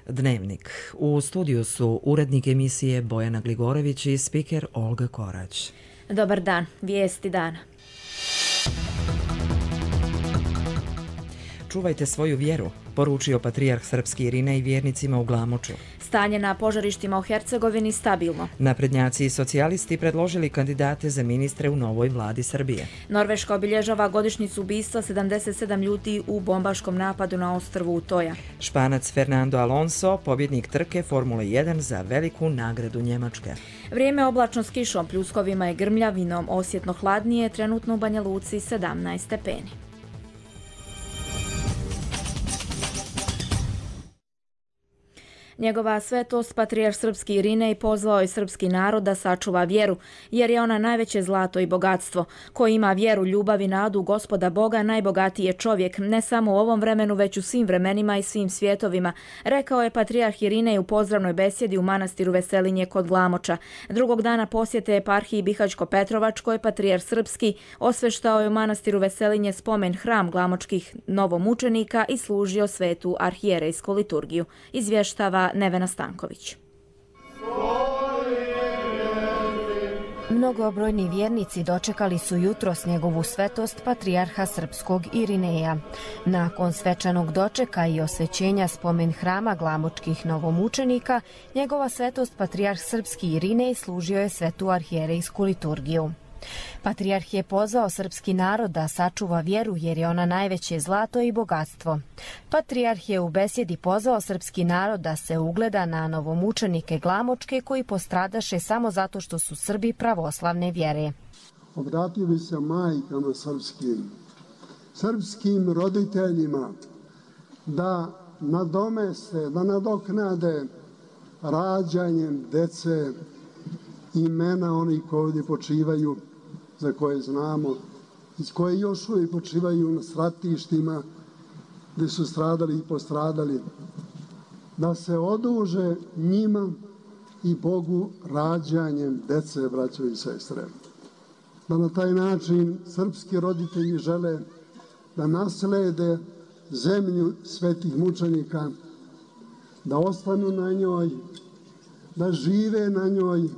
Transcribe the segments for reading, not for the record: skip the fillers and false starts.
Dnevnik. U studiju su urednik emisije Bojana Gligorović i spiker Olga Korać. Dobar dan, vijesti dana. Čuvajte svoju vjeru, poručio patrijarh srpski Irinej vjernicima u Glamoču. Stanje na požarištima u Hercegovini stabilno. Naprednjaci i socijalisti predložili kandidate za ministre u novoj vladi Srbije. Norveška obilježava godišnjicu ubistva 77 ljudi u bombaškom napadu na ostrvu Utoja. Španac Fernando Alonso, pobjednik trke Formule 1 za veliku nagradu Njemačke. Vrijeme oblačno s kišom, pljuskovima i grmljavinom, osjetno hladnije, trenutno u Banja Luci 17 stepeni. Njegova svetost, patrijarh srpski Irinej, pozvao je srpski narod da sačuva vjeru, jer je ona najveće zlato i bogatstvo. Ko ima vjeru, ljubav i nadu Gospoda Boga, najbogatiji je čovjek, ne samo u ovom vremenu, već u svim vremenima i svim svjetovima, rekao je patrijarh Irinej u pozdravnoj besjedi u manastiru Veselinje kod Glamoča. Drugog dana posjete eparhiji Bihać-Petrovačkoj, patrijarh srpski osveštao je u manastiru Veselinje spomen hram glamočkih novomučenika i služio svetu arhijerejsku liturgiju. Izvještava Nevena Stanković. Mnogobrojni vjernici dočekali su jutros njegovu svetost patrijarha srpskog Irineja. Nakon svečanog dočeka i osvećenja spomen hrama glamočkih novomučenika, njegova svetost patrijarh srpski Irinej služio je svetu arhijerejsku liturgiju. Patrijarh je pozvao srpski narod da sačuva vjeru jer je ona najveće zlato i bogatstvo. Patrijarh je u besjedi pozvao srpski narod da se ugleda na novomučenike glamočke koji postradaše samo zato što su Srbi pravoslavne vjere. Obratio bi se majkama srpskim roditeljima da nadomeste, da nadoknade rađanjem dece imena onih koji ovdje počivaju, za koje znamo, iz koje još uvijek počivaju na stratištima gdje su stradali i postradali, da se oduže njima i Bogu rađanjem dece, braćo i sestre. Da na taj način srpski roditelji žele da naslede zemlju svetih mučenika, da ostanu na njoj, da žive na njoj.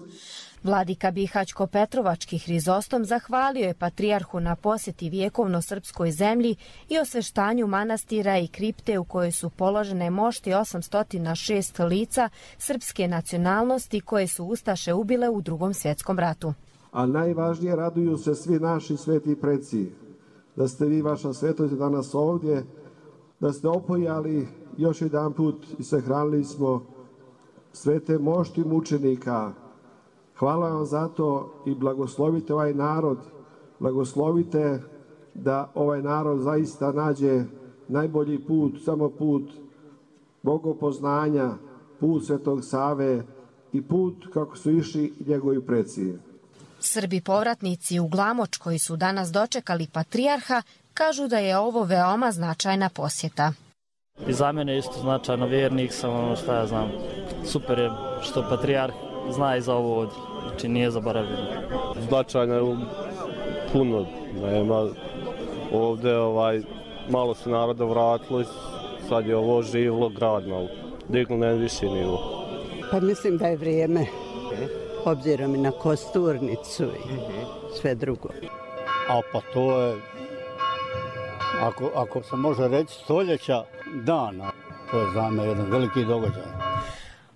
Vladika Bihać-Petrovački Hrizostom zahvalio je patrijarhu na posjeti vjekovno srpskoj zemlji i osveštanju manastira i kripte u kojoj su položene mošti 806 lica srpske nacionalnosti koje su ustaše ubile u Drugom svjetskom ratu. A najvažnije, raduju se svi naši sveti preci, da ste vi, vaša svetost, danas ovdje, da ste opojali još jedan put i sahranili smo svete mošti mučenika. Hvala vam za to i blagoslovite ovaj narod, blagoslovite da ovaj narod zaista nađe najbolji put, samo put bogopoznanja, put Svetog Save i put kako su išli njegovi preci. Srbi povratnici u Glamoč koji su danas dočekali patrijarha kažu da je ovo veoma značajna posjeta. I za mene isto značajno, vjernik sam, šta ja znam, super je što patrijarh zna i za ovo ovdje, znači nije zaboravljeno. Značajno je puno, nema ovdje malo se naroda vratilo, sad je ovo živlo grad malo, diglo na viši nivo. Pa mislim da je vrijeme, obzirom i na kosturnicu i sve drugo. A pa to je, ako se može reći, stoljeća dana, to je za me jedan veliki događaj.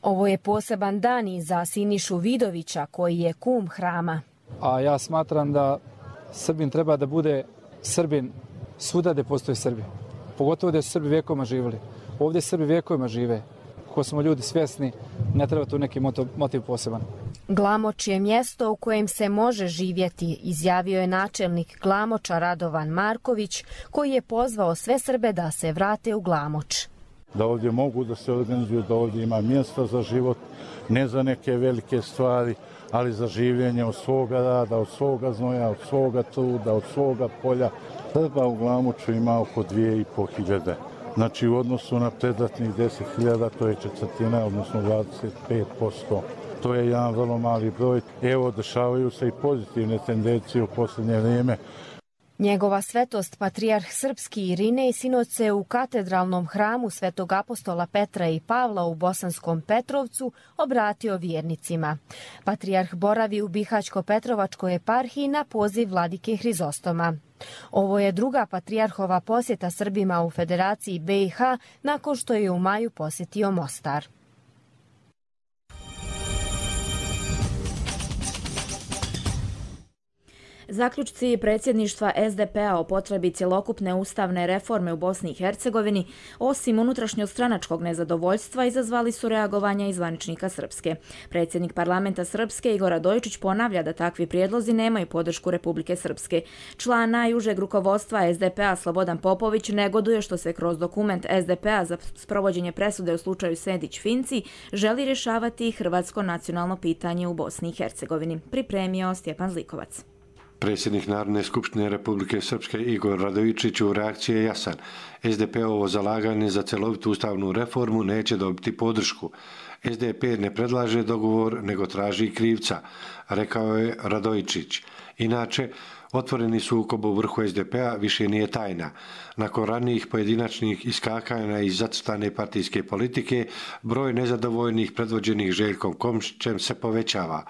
Ovo je poseban dan i za Sinišu Vidovića, koji je kum hrama. A ja smatram da Srbin treba da bude Srbin svuda gdje postoje Srbi. Pogotovo gdje su Srbi vjekovima živjeli. Ovdje Srbi vjekovima žive. Ko smo ljudi svjesni, ne treba tu neki motiv poseban. Glamoč je mjesto u kojem se može živjeti, izjavio je načelnik Glamoča Radovan Marković, koji je pozvao sve Srbe da se vrate u Glamoč. Da ovdje mogu da se organizuju, da ovdje ima mjesta za život, ne za neke velike stvari, ali za življenje od svoga rada, od svoga znoja, od svoga truda, od svoga polja. Srba u Glamoču ima oko 2500. Znači u odnosu na predratnih 10.000 to je četvrtina, odnosno 25%. To je jedan vrlo mali broj. Evo, dešavaju se i pozitivne tendencije u posljednje vrijeme. Njegova svetost patrijarh srpski Irinej sinoć se u katedralnom hramu Svetog apostola Petra i Pavla u Bosanskom Petrovcu obratio vjernicima. Patrijarh boravi u Bihaćko-Petrovačkoj eparhiji na poziv vladike Hrizostoma. Ovo je druga patrijarhova posjeta Srbima u Federaciji BiH nakon što je u maju posjetio Mostar. Zaključci predsjedništva SDP-a o potrebi cjelokupne ustavne reforme u Bosni i Hercegovini, osim unutrašnjostranačkog nezadovoljstva, izazvali su reagovanja i zvaničnika Srpske. Predsjednik parlamenta Srpske Igor Radojičić ponavlja da takvi prijedlozi nemaju podršku Republike Srpske. Član najužeg rukovodstva SDP-a Slobodan Popović negoduje što se kroz dokument SDP-a za sprovođenje presude u slučaju Sejdić-Finci želi rješavati hrvatsko nacionalno pitanje u Bosni i Hercegovini. Pripremio Stjepan Zlikovac. Predsjednik Narodne skupštine Republike Srpske Igor Radojičić u reakciji je jasan. SDP-ovo zalaganje za celovitu ustavnu reformu neće dobiti podršku. SDP ne predlaže dogovor, nego traži krivca, rekao je Radojičić. Inače, otvoreni sukob u vrhu SDP-a više nije tajna. Nakon ranijih pojedinačnih iskakanja iz zacrtane partijske politike, broj nezadovoljnih predvođenih Željkom Komšićem se povećava.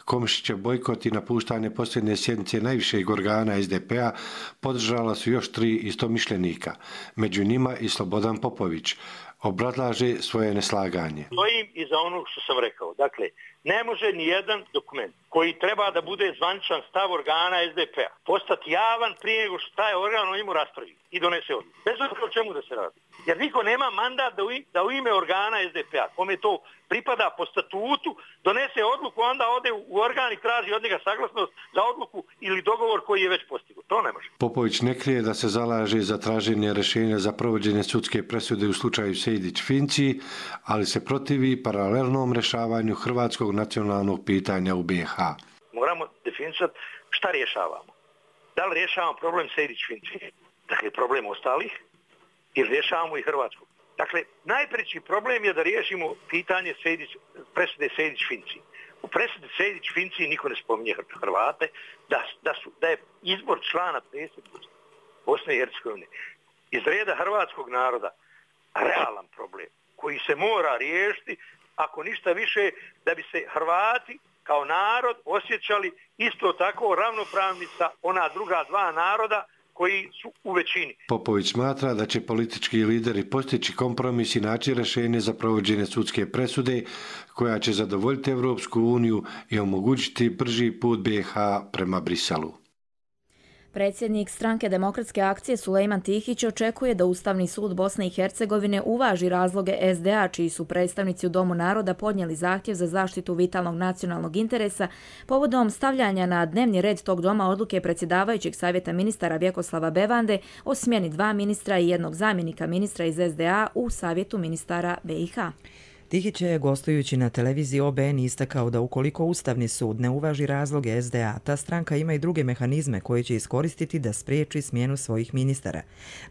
Komšićev bojkot i napuštanje posljednje sjednice najvišeg organa SDP-a podržala su još 3 istomišljenika, među njima i Slobodan Popović. Obrazlaže svoje neslaganje. Stojim iza onog što sam rekao. Dakle, ne može ni jedan dokument koji treba da bude zvaničan stav organa SDP-a postati javan prije nego što taj organ o njemu raspravi i donese odluku. Bez obzira o čemu da se radi. Jer niko nema mandat da u ime organa SDP-a, kome to pripada po statutu, donese odluku, onda ode u organ i traži od njega saglasnost za odluku ili dogovor koji je već postignut. To ne može. Popović ne krije da se zalaže za traženje rješenja za provođenje sudske presude u slučaju Sejdić-Finci, ali se protivi paralelnom rješavanju hrvatskog nacionalnog pitanja u BiH. Moramo definisati šta rješavamo. Da li rješavamo problem Sejdić-Finci, dakle problem ostalih, ili rješavamo i Hrvatsku. Dakle, najpreći problem je da riješimo pitanje presude Sejdić-Finci. U presudi Sejdić-Finci niko ne spominje Hrvate, da je izbor člana predsjedništva Bosne i Hercegovine iz reda hrvatskog naroda realan problem koji se mora riješiti, ako ništa više, da bi se Hrvati kao narod osjećali isto tako ravnopravni sa ona druga 2 naroda koji su u većini. Popović smatra da će politički lideri postići kompromis i naći rješenje za provođenje sudske presude koja će zadovoljiti Evropsku uniju i omogućiti brži put BiH prema Briselu. Predsjednik Stranke demokratske akcije Sulejman Tihić očekuje da Ustavni sud Bosne i Hercegovine uvaži razloge SDA, čiji su predstavnici u Domu naroda podnijeli zahtjev za zaštitu vitalnog nacionalnog interesa povodom stavljanja na dnevni red tog doma odluke predsjedavajućeg savjeta ministara Vjekoslava Bevande o smjeni 2 ministra i 1 zamjenika ministra iz SDA u savjetu ministara BiH. Tihić je, gostujući na televiziji OBN, istakao da ukoliko Ustavni sud ne uvaži razloge SDA, ta stranka ima i druge mehanizme koje će iskoristiti da spriječi smjenu svojih ministara.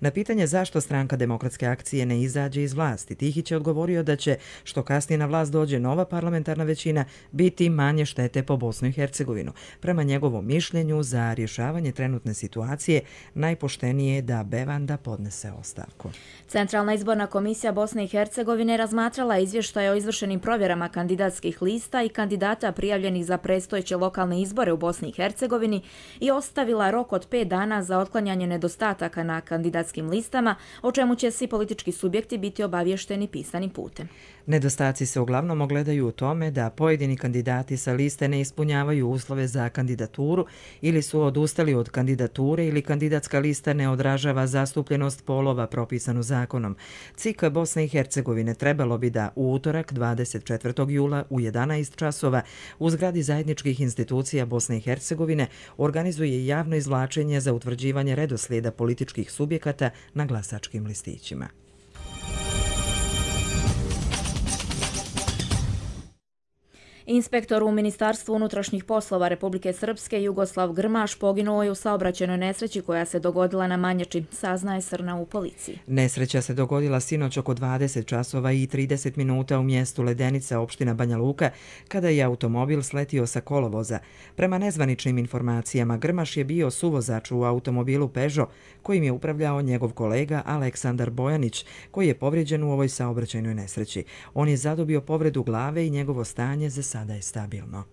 Na pitanje zašto Stranka demokratske akcije ne izađe iz vlasti, Tihić je odgovorio da će, što kasnije na vlast dođe nova parlamentarna većina, biti manje štete po Bosnu i Hercegovinu. Prema njegovom mišljenju, za rješavanje trenutne situacije najpoštenije je da Bevanda podnese ostavku. Centralna izborna komisija Bosne i Hercegovine razmatrala izvještaj o izvršenim provjerama kandidatskih lista i kandidata prijavljenih za predstojeće lokalne izbore u Bosni i Hercegovini i ostavila rok od 5 dana za otklanjanje nedostataka na kandidatskim listama, o čemu će svi politički subjekti biti obavješteni pisanim putem. Nedostaci se uglavnom ogledaju u tome da pojedini kandidati sa liste ne ispunjavaju uslove za kandidaturu ili su odustali od kandidature ili kandidatska lista ne odražava zastupljenost polova propisanu zakonom. CIK Bosne i Hercegovine trebalo bi da u utorak 24. jula u 11 časova u zgradi zajedničkih institucija Bosne i Hercegovine organizuje javno izvlačenje za utvrđivanje redoslijeda političkih subjekata na glasačkim listićima. Inspektor u Ministarstvu unutrašnjih poslova Republike Srpske Jugoslav Grmaš poginuo je u saobraćajnoj nesreći koja se dogodila na Manjači, saznaje SRNA u policiji. Nesreća se dogodila sinoć oko 20 časova i 30 minuta u mjestu Ledenica, opština Banja Luka, kada je automobil sletio sa kolovoza. Prema nezvaničnim informacijama, Grmaš je bio suvozač u automobilu Peugeot, kojim je upravljao njegov kolega Aleksandar Bojanić, koji je povrijeđen u ovoj saobraćajnoj nesreći. On je zadobio povredu glave i njegovo stanje za sada je stabilno.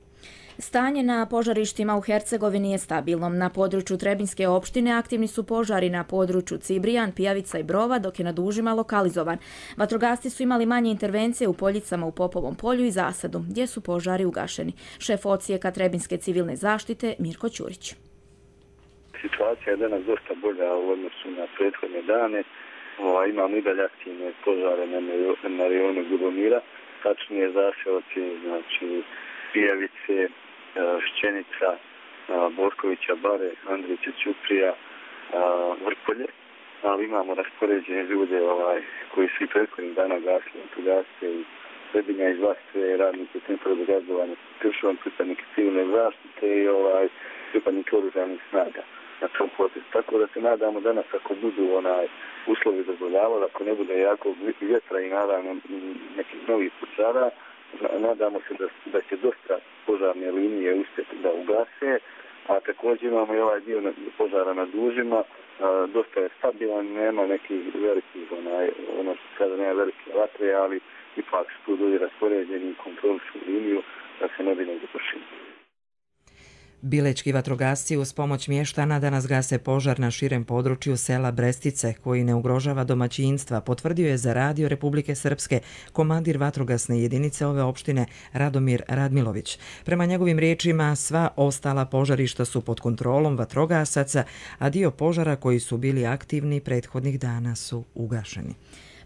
Stanje na požarištima u Hercegovini je stabilno. Na području Trebinjske opštine aktivni su požari na području Cibrijan, Pijavica i Brova, dok je na Dužima lokalizovan. Vatrogasci su imali manje intervencije u Poljicama u Popovom polju i Zasadu, gdje su požari ugašeni. Šef odsjeka Trebinjske civilne zaštite Mirko Ćurić. Situacija je danas dosta bolja u odnosu na prethodne dane. Imamo i dalje aktivne požare na rejonu Ljubomira, tačnije zaseoci, znači Pijavice, Šćenica, Borkovića, Bare, Andrića, Ćuprija, Vrpolje, ali imamo raspoređene ljude koji su i prethodnih dana gasili vatrogasce i Trebinja iz Vlastve, radnike centra za gazovanje Kršovan, pripadnike civilne zaštite i pripadnike oružanih snaga na tom potezu. Tako da se nadamo danas ako budu uslovi dozvoljavali, ako ne bude jako vjetra i naravno nekih novih požara, nadamo se da će dosta požarne linije uspjeti da ugase, a također imamo i ovaj dio požara na Dužima, dosta je stabilan, nema nekih velikih, ono što sada nema velike vatre, ali ipak su tu ljudi raspoređeni i kontrolišu liniju da se ne bi negdje pošli. Bilečki vatrogasci uz pomoć mještana danas gase požar na širem području sela Brestice, koji ne ugrožava domaćinstva, potvrdio je za Radio Republike Srpske komandir vatrogasne jedinice ove opštine Radomir Radmilović. Prema njegovim riječima, sva ostala požarišta su pod kontrolom vatrogasaca, a dio požara koji su bili aktivni prethodnih dana su ugašeni.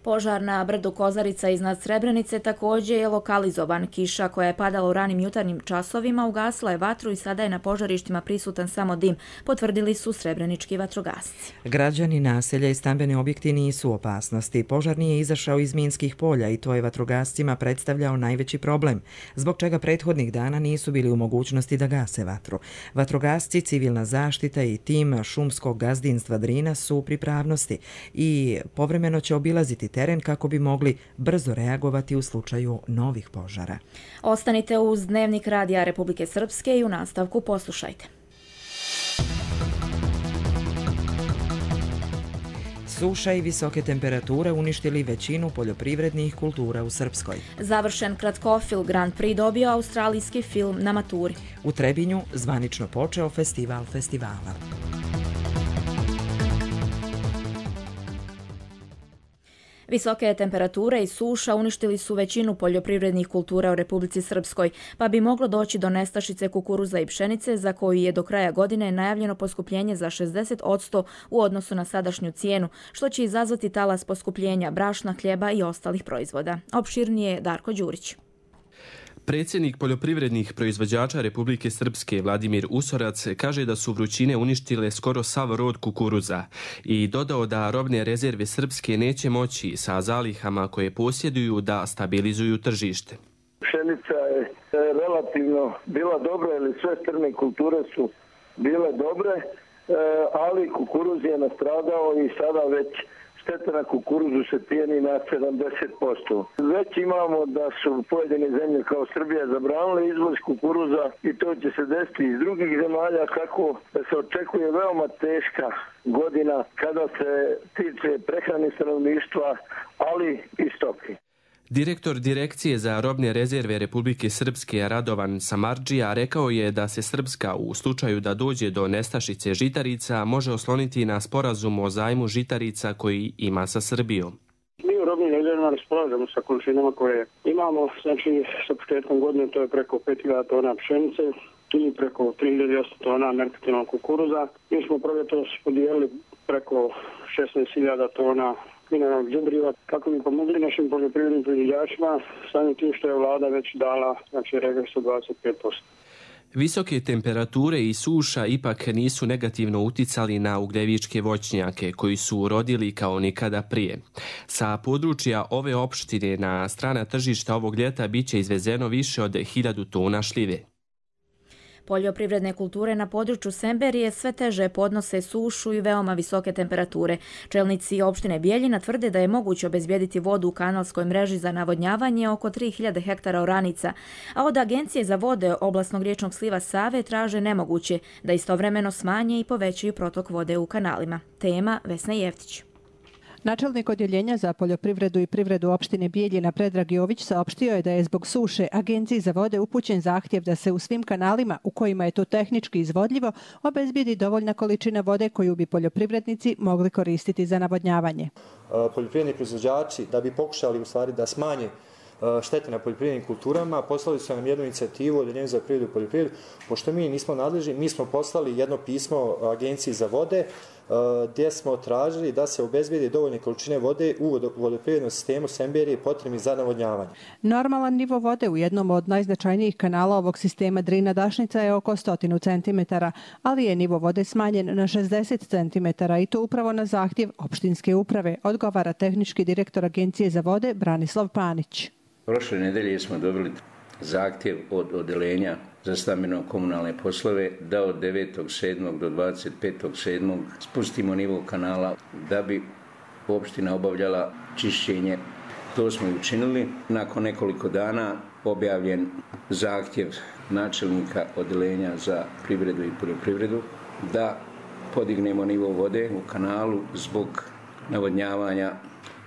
Požar na brdu Kozarica iznad Srebrenice također je lokalizovan. Kiša koja je padala u ranim jutarnjim časovima ugasila je vatru i sada je na požarištima prisutan samo dim, potvrdili su srebrenički vatrogasci. Građani, naselja i stambeni objekti nisu u opasnosti. Požar nije izašao iz minskih polja i to je vatrogascima predstavljao najveći problem, zbog čega prethodnih dana nisu bili u mogućnosti da gase vatru. Vatrogasci, civilna zaštita i tim šumskog gazdinstva Drina su u pripravnosti i povremeno će obilaziti teren kako bi mogli brzo reagovati u slučaju novih požara. Ostanite uz Dnevnik Radija Republike Srpske i u nastavku poslušajte. Suša i visoke temperature uništili većinu poljoprivrednih kultura u Srpskoj. Završen kratkofilm Grand Prix dobio australijski film na maturi. U Trebinju zvanično počeo festival festivala. Visoke temperature i suša uništili su većinu poljoprivrednih kultura u Republici Srpskoj, pa bi moglo doći do nestašice kukuruza i pšenice, za koju je do kraja godine najavljeno poskupljenje za 60% u odnosu na sadašnju cijenu, što će izazvati talas poskupljenja brašna, hljeba i ostalih proizvoda. Opširnije Darko Đurić. Predsjednik poljoprivrednih proizvođača Republike Srpske Vladimir Usorac kaže da su vrućine uništile skoro sav rod kukuruza i dodao da robne rezerve Srpske neće moći sa zalihama koje posjeduju da stabilizuju tržište. Pšenica je relativno bila dobra ili sve strne kulture su bile dobre, ali kukuruz je nastradao i sada već šteta na kukuruzu se cijeni na 70%. Već imamo da su pojedine zemlje kao Srbija zabranile izvoz kukuruza i to će se desiti iz drugih zemalja, kako da se očekuje veoma teška godina kada se tiče prehrane stanovništva, ali i stoke. Direktor Direkcije za robne rezerve Republike Srpske Radovan Samardžija rekao je da se Srpska u slučaju da dođe do nestašice žitarica može osloniti na sporazum o zajmu žitarica koji ima sa Srbijom. Mi u robnim rezervama raspolažemo sa količinama koje imamo, znači sa početkom godine to je preko 5000 tona pšenice ili preko 3800 tona merkantilnog kukuruza. Mi smo proljetos podijelili preko 16.000 tona mineralnog đubriva kako bi pomogli našim poljoprivrednim proizvođačima, samim tim što je vlada već dala regres od 25%. Visoke temperature i suša ipak nisu negativno uticali na ugljevičke voćnjake koji su urodili kao nikada prije. Sa područja ove opštine na strana tržišta ovog ljeta biće izvezeno više od 1000 tona šljive. Poljoprivredne kulture na području Semberije sve teže podnose sušu i veoma visoke temperature. Čelnici opštine Bijeljina tvrde da je moguće obezbijediti vodu u kanalskoj mreži za navodnjavanje oko 3000 hektara oranica, a od Agencije za vode oblasnog riječnog sliva Save traže nemoguće da istovremeno smanje i povećaju protok vode u kanalima. Tema Vesna Jeftić. Načelnik odjeljenja za poljoprivredu i privredu opštine Bijeljina Predrag Jović saopštio je da je zbog suše Agenciji za vode upućen zahtjev da se u svim kanalima u kojima je to tehnički izvodljivo obezbijedi dovoljna količina vode koju bi poljoprivrednici mogli koristiti za navodnjavanje. Poljoprivredni proizvođači da bi pokušali u stvari da smanje štete na poljoprivrednim kulturama, poslali su nam jednu inicijativu od Odjeljenja za privredu i poljoprivredu. Pošto mi nismo nadležni, mi smo poslali jedno pismo Agenciji za vode gdje smo tražili da se obezbijedi dovoljne količine vode u vodoprivrednom sistemu Semberije potrebni za navodnjavanje. Normalan nivo vode u jednom od najznačajnijih kanala ovog sistema Drina Dašnica je oko 100 cm, ali je nivo vode smanjen na 60 cm i to upravo na zahtjev opštinske uprave, odgovara tehnički direktor Agencije za vode Branislav Panić. Prošle nedelje smo dobili zahtjev od Odjeljenja za stambeno-komunalne poslove da od 9.7. do 25.7. spustimo nivo kanala da bi opština obavljala čišćenje. To smo i učinili. Nakon nekoliko dana objavljen zahtjev načelnika Odjeljenja za privredu i poljoprivredu da podignemo nivo vode u kanalu zbog navodnjavanja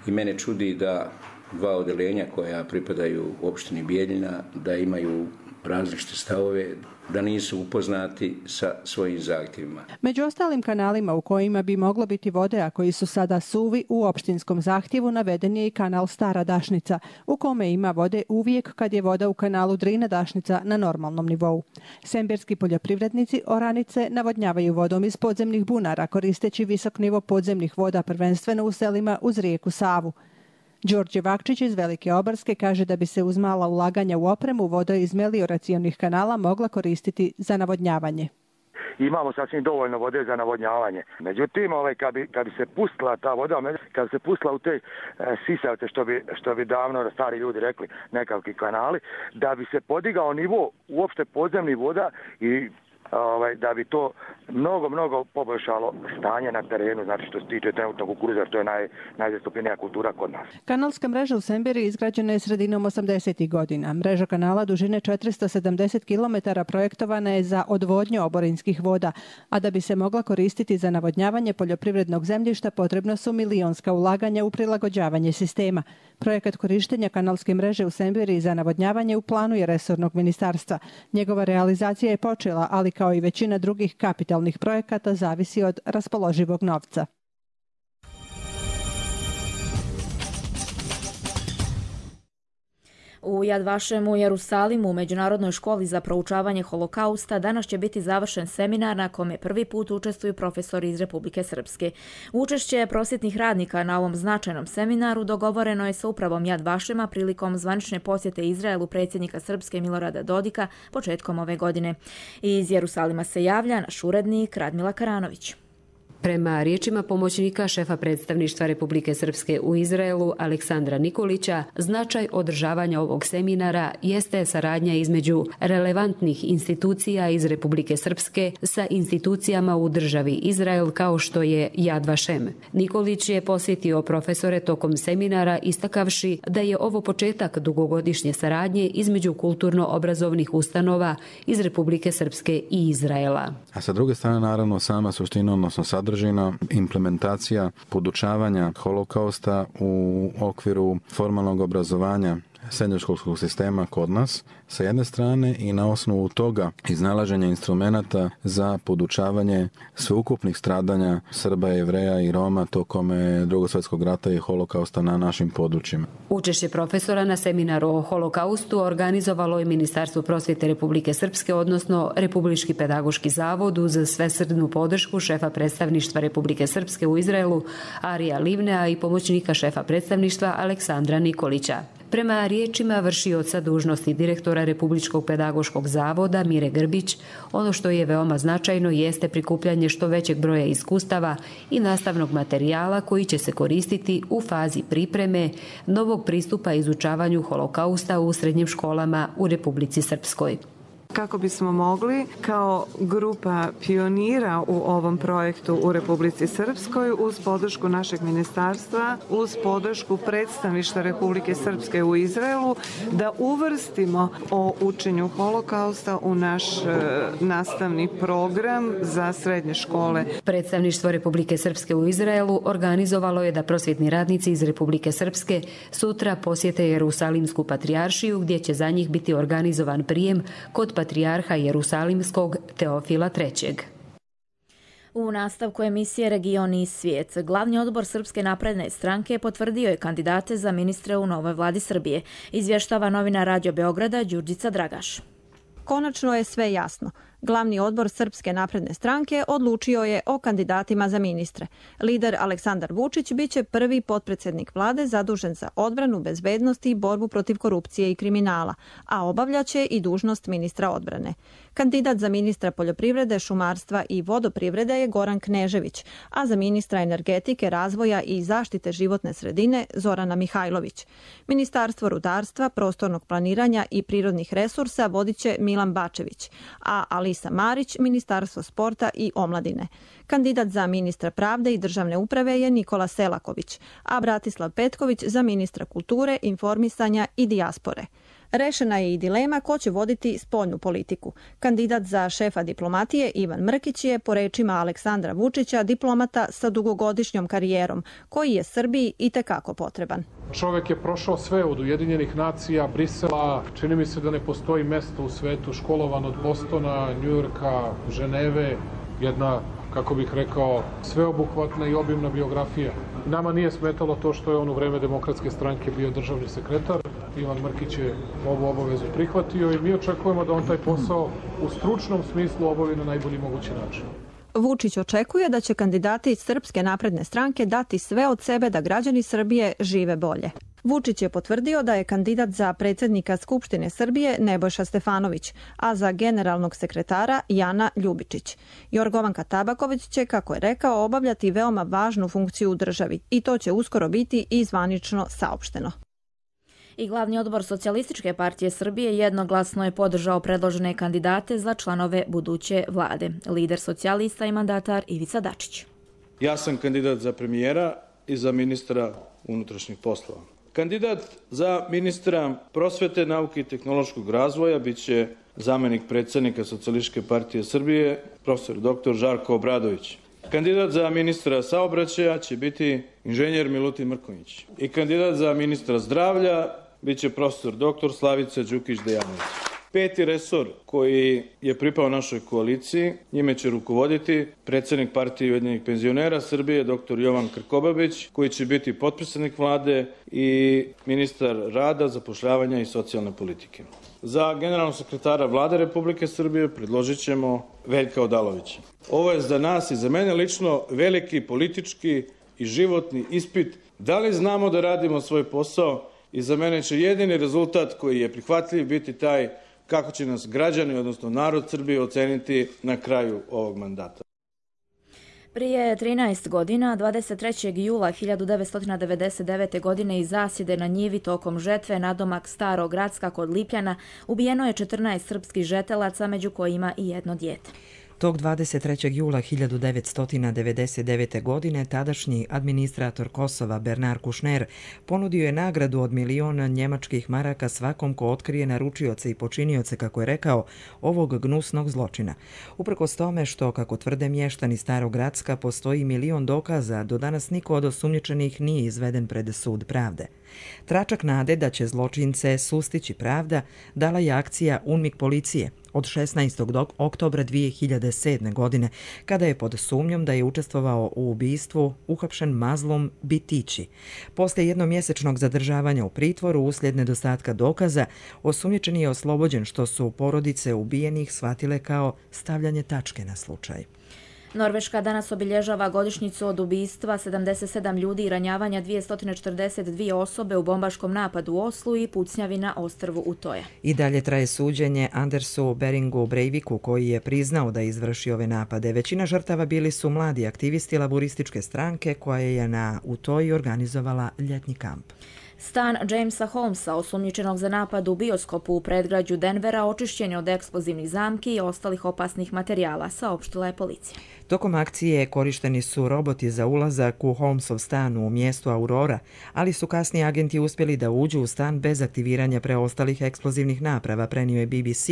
i mene čudi da dva odjeljenja koja pripadaju opštini Bijeljina da imaju različite stavove, da nisu upoznati sa svojim zahtjevima. Među ostalim kanalima u kojima bi moglo biti vode, a koji su sada suvi, u opštinskom zahtjevu naveden je i kanal Stara Dašnica, u kome ima vode uvijek kad je voda u kanalu Drina Dašnica na normalnom nivou. Semberski poljoprivrednici oranice navodnjavaju vodom iz podzemnih bunara, koristeći visok nivo podzemnih voda prvenstveno u selima uz rijeku Savu. Đorđe Vakčić iz Velike Obarske kaže da bi se uz mala ulaganja u opremu voda iz melioracionih kanala mogla koristiti za navodnjavanje. Imamo sasvim dovoljno vode za navodnjavanje. Međutim, kad bi se pustila ta voda, kad bi se pustila u te sisavce, što bi davno stari ljudi rekli, nekakvi kanali, da bi se podigao nivo uopšte podzemnih voda i da bi to mnogo poboljšalo stanje na terenu, znači što se tiče trenutnog kukuruza, što je najzastupljenija kultura kod nas. Kanalska mreža u Semberiji izgrađena je sredinom 80. godina. Mreža kanala dužine 470 km projektovana je za odvodnju oborinskih voda, a da bi se mogla koristiti za navodnjavanje poljoprivrednog zemljišta potrebno su milionska ulaganja u prilagođavanje sistema. Projekat korištenja kanalske mreže u Semberiji za navodnjavanje u planu je resornog ministarstva. Njegova realizacija je počela, ali kao i većina drugih kapitalnih projekata zavisi od raspoloživog novca. U Jad Vašem u Jerusalimu u Međunarodnoj školi za proučavanje holokausta danas će biti završen seminar na kome prvi put učestvuju profesori iz Republike Srpske. Učešće prosvjetnih radnika na ovom značajnom seminaru dogovoreno je sa upravom Jad Vašema prilikom zvanične posjete Izraelu predsjednika Srpske Milorada Dodika početkom ove godine. Iz Jerusalima se javlja naš urednik Radmila Karanović. Prema riječima pomoćnika šefa predstavništva Republike Srpske u Izraelu Aleksandra Nikolića, značaj održavanja ovog seminara jeste saradnja između relevantnih institucija iz Republike Srpske sa institucijama u državi Izrael kao što je Jad Vašem. Nikolić je posjetio profesore tokom seminara istakavši da je ovo početak dugogodišnje saradnje između kulturno-obrazovnih ustanova iz Republike Srpske i Izraela. A sa druge strane, naravno, sama suština, odnosno sadržina, implementacija podučavanja holokausta u okviru formalnog obrazovanja srednjoškolskog sistema kod nas sa jedne strane i na osnovu toga iznalaženja instrumenata za podučavanje sveukupnih stradanja Srba, Jevreja i Roma tokom Drugog svjetskog rata i holokausta na našim područjima. Učešće profesora na seminaru o holokaustu organizovalo je Ministarstvo prosvjete Republike Srpske, odnosno Republički pedagoški zavod uz svesrdnu podršku šefa predstavništva Republike Srpske u Izraelu Arija Livnea i pomoćnika šefa predstavništva Aleksandra Nikolića. Prema riječima vršioca dužnosti direktora Republičkog pedagoškog zavoda Mire Grbić, ono što je veoma značajno jeste prikupljanje što većeg broja iskustava i nastavnog materijala koji će se koristiti u fazi pripreme novog pristupa izučavanju holokausta u srednjim školama u Republici Srpskoj. Kako bismo mogli kao grupa pionira u ovom projektu u Republici Srpskoj uz podršku našeg ministarstva, uz podršku predstavništva Republike Srpske u Izraelu, da uvrstimo o učenju holokausta u naš nastavni program za srednje škole. Predstavništvo Republike Srpske u Izraelu organizovalo je da prosvjetni radnici iz Republike Srpske sutra posjete Jerusalimsku patrijaršiju gdje će za njih biti organizovan prijem kod patrijarha Jerusalimskog Teofila III. U nastavku emisije Region i svijet, glavni odbor Srpske napredne stranke potvrdio je kandidate za ministre u novoj vladi Srbije, izvještava novinar Radio Beograda Đurđica Dragaš. Konačno je sve jasno. Glavni odbor Srpske napredne stranke odlučio je o kandidatima za ministre. Lider Aleksandar Vučić biće prvi potpredsjednik vlade zadužen za odbranu, bezbednost i borbu protiv korupcije i kriminala, a obavljaće i dužnost ministra odbrane. Kandidat za ministra poljoprivrede, šumarstva i vodoprivrede je Goran Knežević, a za ministra energetike, razvoja i zaštite životne sredine Zorana Mihajlović. Ministarstvo rudarstva, prostornog planiranja i prirodnih resursa vodit će Milan Bačević, a Alisa Marić, Ministarstvo sporta i omladine. Kandidat za ministra pravde i državne uprave je Nikola Selaković, a Bratislav Petković za ministra kulture, informisanja i dijaspore. Rešena je i dilema ko će voditi spoljnu politiku. Kandidat za šefa diplomatije Ivan Mrkić je, po rečima Aleksandra Vučića, diplomata sa dugogodišnjom karijerom, koji je Srbiji itekako potreban. Čovek je prošao sve od Ujedinjenih nacija, Brisela, čini mi se da ne postoji mesto u svetu, školovan od Bostona, Njujorka, Ženeve, jedna, kako bih rekao, sveobuhvatna i obimna biografija. Nama nije smetalo to što je on u vreme Demokratske stranke bio državni sekretar. Ivan Mrkić je ovu obavezu prihvatio i mi očekujemo da on taj posao u stručnom smislu obavi na najbolji mogući način. Vučić očekuje da će kandidati iz Srpske napredne stranke dati sve od sebe da građani Srbije žive bolje. Vučić je potvrdio da je kandidat za predsjednika Skupštine Srbije Nebojša Stefanović, a za generalnog sekretara Jana Ljubičić. Jorgovanka Tabaković će, kako je rekao, obavljati veoma važnu funkciju u državi i to će uskoro biti i zvanično saopšteno. I glavni odbor Socijalističke partije Srbije jednoglasno je podržao predložene kandidate za članove buduće vlade. Lider socijalista i mandatar Ivica Dačić. Ja sam kandidat za premijera i za ministra unutrašnjih poslova. Kandidat za ministra prosvete, nauke i tehnološkog razvoja biće zamenik predsjednika Socijalističke partije Srbije, profesor dr. Žarko Obradović. Kandidat za ministra saobraćaja će biti inženjer Milutin Mrkonjić. I kandidat za ministra zdravlja biće profesor dr. Slavica Đukić-Dejanović. Peti resor koji je pripao našoj koaliciji, njime će rukovoditi predsjednik partije Ujedinjenih penzionera Srbije, dr. Jovan Krkobabić, koji će biti potpredsjednik vlade i ministar rada, zapošljavanja i socijalne politike. Za generalnog sekretara vlade Republike Srbije predložit ćemo Veljka Odalovića. Ovo je za nas i za mene lično veliki politički i životni ispit. Da li znamo da radimo svoj posao i za mene će jedini rezultat koji je prihvatljiv biti taj kako će nas građani, odnosno narod Srbije, oceniti na kraju ovog mandata. Prije 13 godina, 23. jula 1999. godine iz zasjede na njivi tokom žetve nadomak Starog Gracka kod Lipljana ubijeno je 14 srpskih žetelaca, među kojima i jedno dijete. Tog 23. jula 1999. godine tadašnji administrator Kosova Bernard Kouchner ponudio je nagradu od 1.000.000 njemačkih maraka svakom ko otkrije naručioce i počinioce, kako je rekao, ovog gnusnog zločina. Uprkos tome što, kako tvrde mještani Starog Gracka, postoji 1.000.000 dokaza, do danas niko od osumnjičenih nije izveden pred sud pravde. Tračak nade da će zločince sustići pravda dala je akcija UNMIK policije od 16. oktobra 2007. godine, kada je pod sumnjom da je učestvovao u ubistvu uhapšen Mazlum Bitići. Posle jednomjesečnog zadržavanja u pritvoru uslijed nedostatka dokaza, osumnjičeni je oslobođen, što su porodice ubijenih shvatile kao stavljanje tačke na slučaj. Norveška danas obilježava godišnjicu od ubistva 77 ljudi i ranjavanja 242 osobe u bombaškom napadu u Oslu i pucnjavi na ostrvu Utoja. I dalje traje suđenje Andersu Beringu Breiviku, koji je priznao da je izvršio ove napade. Većina žrtava bili su mladi aktivisti laborističke stranke koja je na Utoji organizovala ljetni kamp. Stan Jamesa Holmesa, osumnjičenog za napad u bioskopu u predgrađu Denvera, očišćen je od eksplozivnih zamki i ostalih opasnih materijala, saopštila je policija. Tokom akcije korišteni su roboti za ulazak u Holmesov stan u mjestu Aurora, ali su kasnije agenti uspjeli da uđu u stan bez aktiviranja preostalih eksplozivnih naprava, prenio je BBC.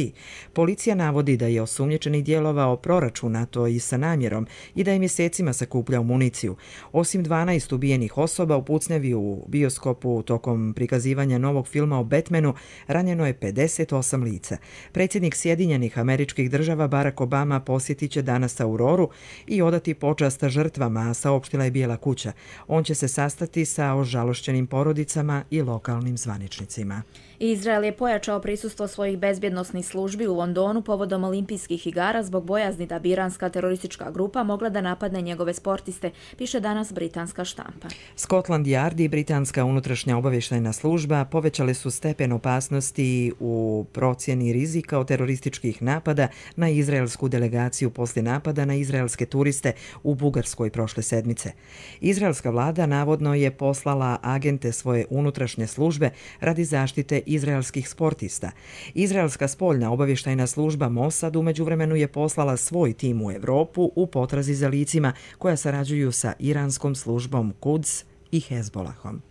Policija navodi da je osumnjičeni djelovao proračunato i sa namjerom i da je mjesecima sakupljao municiju. Osim 12 ubijenih osoba u pucnjavi u bioskopu tokom prikazivanja novog filma o Batmanu, ranjeno je 58 lica. Predsjednik Sjedinjenih Američkih Država Barack Obama posjetit će danas Auroru i odati počast žrtvama, saopštila je Bijela kuća. On će se sastati sa ožalošćenim porodicama i lokalnim zvaničnicima. Izrael je pojačao prisustvo svojih bezbjednosnih službi u Londonu povodom olimpijskih igara zbog bojazni da bi iranska teroristička grupa mogla da napadne njegove sportiste, piše danas britanska štampa. Scotland Yard i britanska unutrašnja obavještajna služba povećale su stepen opasnosti u procjeni rizika od terorističkih napada na izraelsku delegaciju poslije napada na izraelske turiste u Bugarskoj prošle sedmice. Izraelska vlada navodno je poslala agente svoje unutrašnje službe radi zaštite izraelskih sportista. Izraelska spoljna obavještajna služba Mossad u međuvremenu je poslala svoj tim u Evropu u potrazi za licima koja sarađuju sa iranskom službom Quds i Hezbolahom.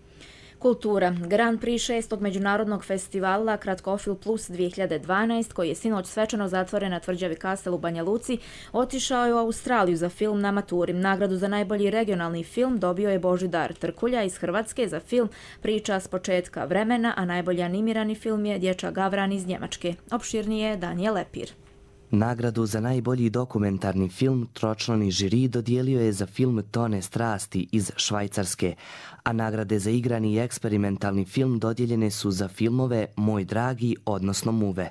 Kultura. Grand Prix 6. međunarodnog festivala Kratkofil Plus 2012, koji je sinoć svečano zatvoren na tvrđavi Kastel u Banja Luci, otišao je u Australiju za film na maturi. Nagradu za najbolji regionalni film dobio je Božidar Trkulja iz Hrvatske za film Priča s početka vremena, a najbolji animirani film je Dječak Gavran iz Njemačke. Opširnije Danijel Lepir. Nagradu za najbolji dokumentarni film tročlani žiri dodijelio je za film Tone strasti iz Švajcarske, a nagrade za igrani i eksperimentalni film dodijeljene su za filmove Moj dragi, odnosno Muve.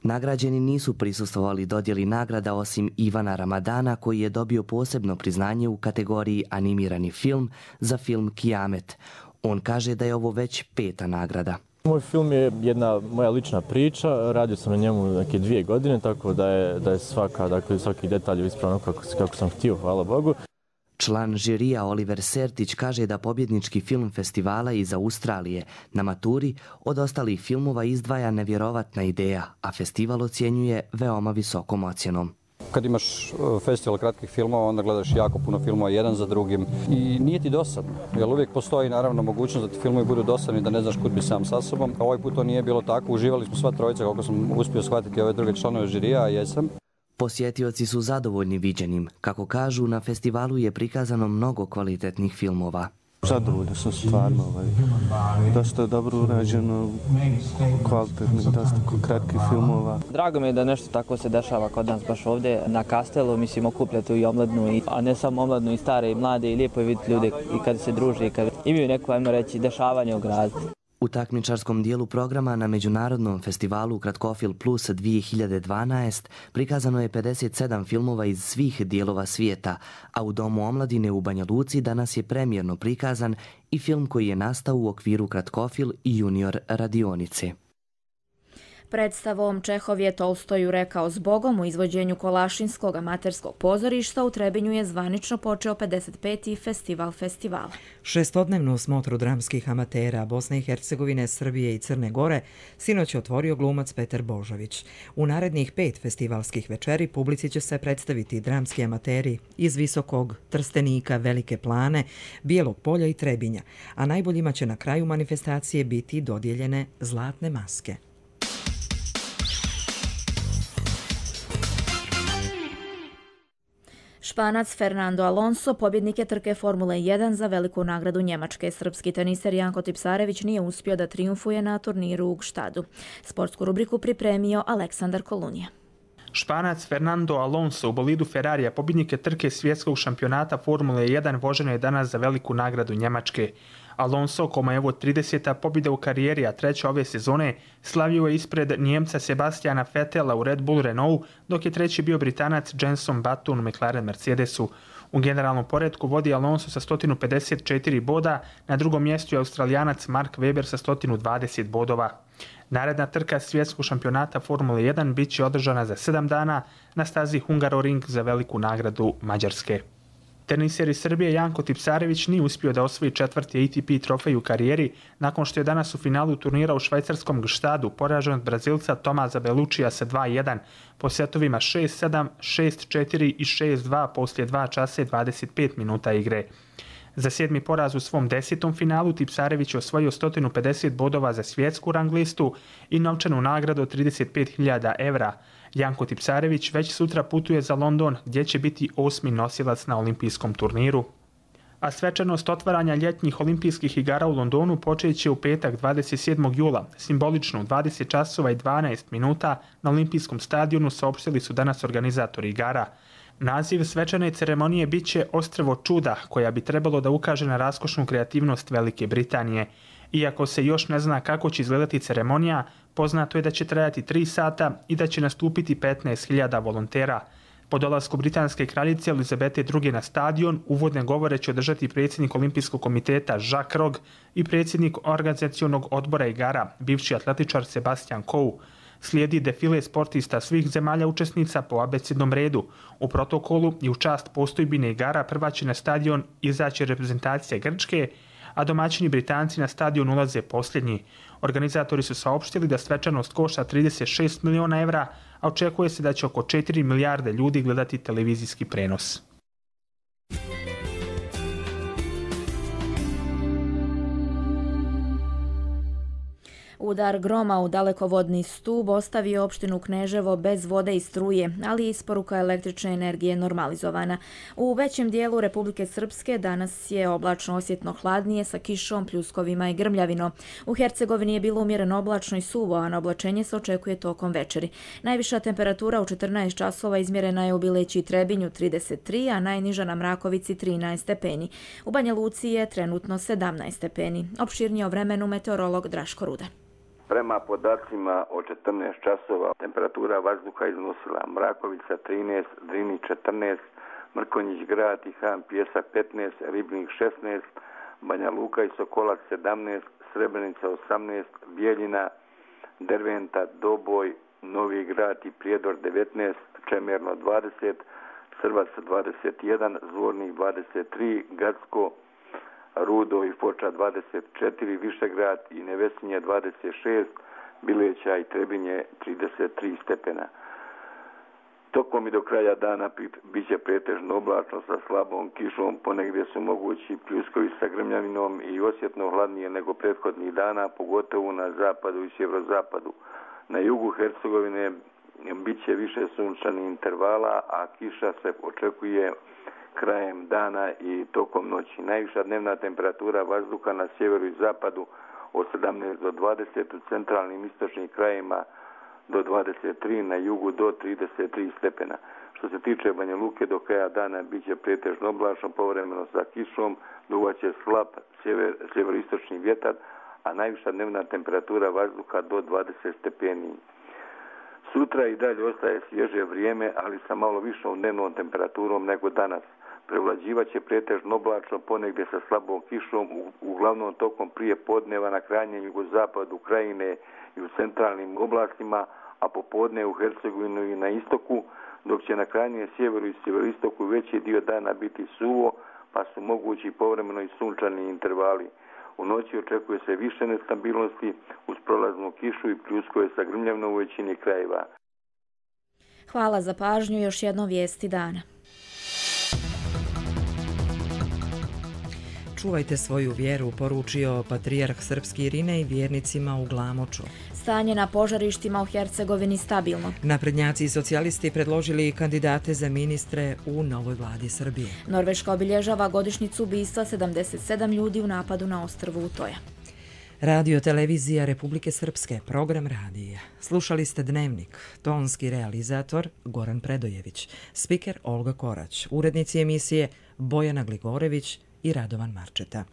Nagrađeni nisu prisustvovali dodjeli nagrada osim Ivana Ramadana, koji je dobio posebno priznanje u kategoriji animirani film za film Kijamet. On kaže da je ovo već 5. nagrada. Moj film je jedna moja lična priča, radio sam na njemu neke 2 godine, tako da je svaki detalj ispravno kako sam htio, hvala Bogu. Član žirija Oliver Sertić kaže da pobjednički film festivala iz Australije na maturi od ostalih filmova izdvaja nevjerovatna ideja, a festival ocjenjuje veoma visokom ocjenom. Kad imaš festival kratkih filmova, onda gledaš jako puno filmova jedan za drugim i nije ti dosadno. Jer uvijek postoji naravno mogućnost da ti filmovi budu dosadni, da ne znaš kud bi sam sa sobom. Ovaj put to nije bilo tako, uživali smo sva trojica, kako sam uspio shvatiti ove druge članove žirija, a jesam. Posjetioci su zadovoljni viđenim. Kako kažu, na festivalu je prikazano mnogo kvalitetnih filmova. Zadovoljno sam stvarno, dosta dobro urađeno, kvalitetnih, dosta kratkih filmova. Drago mi je da nešto tako se dešava kod nas baš ovdje na Kastelu, mislim okupljati i omladnu, a ne samo omladnu i stare i mlade, i lijepo je vidjeti ljude i kad se druže i kad imaju neko, ajmo reći, dešavanje u gradu. U takmičarskom dijelu programa na Međunarodnom festivalu Kratkofil Plus 2012 prikazano je 57 filmova iz svih dijelova svijeta, a u Domu omladine u Banja Luci danas je premijerno prikazan i film koji je nastao u okviru Kratkofil i Junior radionice. Predstavom Čehov je Tolstoju rekao zbogom u izvođenju Kolašinskog amaterskog pozorišta u Trebinju je zvanično počeo 55. festival festivala. 6-dnevnu smotru dramskih amatera Bosne i Hercegovine, Srbije i Crne Gore sinoć je otvorio glumac Petar Božović. U narednih 5 festivalskih večeri publici će se predstaviti dramski amateri iz Visokog, Trstenika, Velike Plane, Bijelog Polja i Trebinja, a najboljima će na kraju manifestacije biti dodijeljene zlatne maske. Španac Fernando Alonso pobjednik je trke Formule 1 za veliku nagradu Njemačke. Srpski teniser Janko Tipsarević nije uspio da trijumfuje na turniru u Gštadu. Sportsku rubriku pripremio Aleksandar Kolunija. Španac Fernando Alonso u bolidu Ferrarija pobjednik je trke svjetskog šampionata Formule 1 voženo je danas za veliku nagradu Njemačke. Alonso, kome je ovo 30. pobjeda u karijeri, a treća ove sezone, slavio je ispred Njemca Sebastiana Vettela u Red Bull Renault, dok je treći bio Britanac Jenson Button u McLaren Mercedesu. U generalnom poretku vodi Alonso sa 154 boda, na drugom mjestu je Australijanac Mark Webber sa 120 bodova. Naredna trka svjetskog šampionata Formule 1 bit će održana za 7 dana na stazi Hungaroring za veliku nagradu Mađarske. Teniser iz Srbije Janko Tipsarević nije uspio da osvoji 4. ATP trofej u karijeri nakon što je danas u finalu turnira u švajcarskom Gštadu poražen od Brazilca Tomaza Belučija sa 2-1 po setovima 6-7, 6-4 i 6-2 poslije 2 časa i 25 minuta igre. Za 7. poraz u svom 10. finalu Tipsarević je osvojio 150 bodova za svjetsku rang listu i novčanu nagradu od 35.000 evra. Janko Tipsarević već sutra putuje za London gdje će biti 8. nosilac na olimpijskom turniru. A svečanost otvaranja ljetnjih olimpijskih igara u Londonu počet će u petak 27. jula, simbolično u 20 časova i 12 minuta na olimpijskom stadionu, saopštili su danas organizatori igara. Naziv svečane ceremonije bit će Ostrvo čuda, koja bi trebalo da ukaže na raskošnu kreativnost Velike Britanije. Iako se još ne zna kako će izgledati ceremonija, poznato je da će trajati 3 sata i da će nastupiti 15.000 volontera. Po dolasku britanske kraljice Elizabete II na stadion, uvodne govore će održati predsjednik Olimpijskog komiteta Jacques Rogge i predsjednik organizacionog odbora igara, bivši atletičar Sebastian Coe. Slijedi defile sportista svih zemalja učesnica po abecednom redu. U protokolu i u čast postojbine igara prva će na stadion izaći reprezentacija Grčke, a domaćini Britanci na stadion ulaze posljednji. Organizatori su saopštili da svečanost košta 36 miliona evra, a očekuje se da će oko 4 milijarde ljudi gledati televizijski prenos. Udar groma u dalekovodni stub ostavio opštinu Kneževo bez vode i struje, ali je isporuka električne energije normalizovana. U većem dijelu Republike Srpske danas je oblačno osjetno hladnije sa kišom, pljuskovima i grmljavinom. U Hercegovini je bilo umjereno oblačno i suvo, a na oblačenje se očekuje tokom večeri. Najviša temperatura u 14 časova izmjerena je u Bileći i Trebinju 33, a najniža na Mrakovici 13 stepeni. U Banja Luci je trenutno 17 stepeni. Opširnije o vremenu meteorolog Draško Rudan. Prema podacima od 14 časova temperatura vazduha iznosila Mrakovica 13, Drini 14, Mrkonjić Grad i Han Pjesak 15, Ribnik 16, Banja Luka i Sokolac 17, Srebrenica 18, Bijeljina, Derventa, Doboj, Novi Grad i Prijedor 19, Čemerno 20, Crvac 21, Zvornik 23, Gacko, Rudo i Foča 24, Višegrad i Nevesinje 26, Bileća i Trebinje 33 stepena. Tokom i do kraja dana bit će pretežno oblačno sa slabom kišom, ponegdje su mogući pljuskovi sa grmljavinom i osjetno hladnije nego prethodnih dana, pogotovo na zapadu i sjeverozapadu. Na jugu Hercegovine bit će više sunčanih intervala, a kiša se očekuje krajem dana i tokom noći. Najviša dnevna temperatura vazduha na sjeveru i zapadu od 17 do 20, u centralnim istočnim krajima do 23, na jugu do 33 stepena. Što se tiče Banja Luke, do kraja dana bit će pretežno oblačno, povremeno sa kišom, duvaće slab sjeveroistočni vjetar, a najviša dnevna temperatura vazduha do 20 stepeni. Sutra i dalje ostaje svježe vrijeme, ali sa malo višom dnevnom temperaturom nego danas. Prevlađivaće pretežno oblačno, ponegdje sa slabom kišom, uglavnom tokom prije podneva na krajnjem jugozapadu Krajine i u centralnim oblastima, a popodne u Hercegovinu i na istoku, dok će na krajnjem sjeveru i sjeveroistoku veći dio dana biti suvo, pa su mogući povremeno i sunčani intervali. U noći očekuje se više nestabilnosti uz prolaznu kišu i pljuskove sa grmljavinom u većini krajeva. Hvala za pažnju, još jedno vijesti dana. Čuvajte svoju vjeru, poručio patrijarh srpski Irinej vjernicima u Glamoču. Stanje na požarištima u Hercegovini stabilno. Naprednjaci i socijalisti predložili kandidate za ministre u novoj vladi Srbije. Norveška obilježava godišnjicu ubistva 77 ljudi u napadu na ostrvu Utoja. Radio Televizija Republike Srpske, program radija. Slušali ste Dnevnik, tonski realizator Goran Predojević, spiker Olga Korać, urednici emisije Bojana Gligorević i Radovan Marčeta.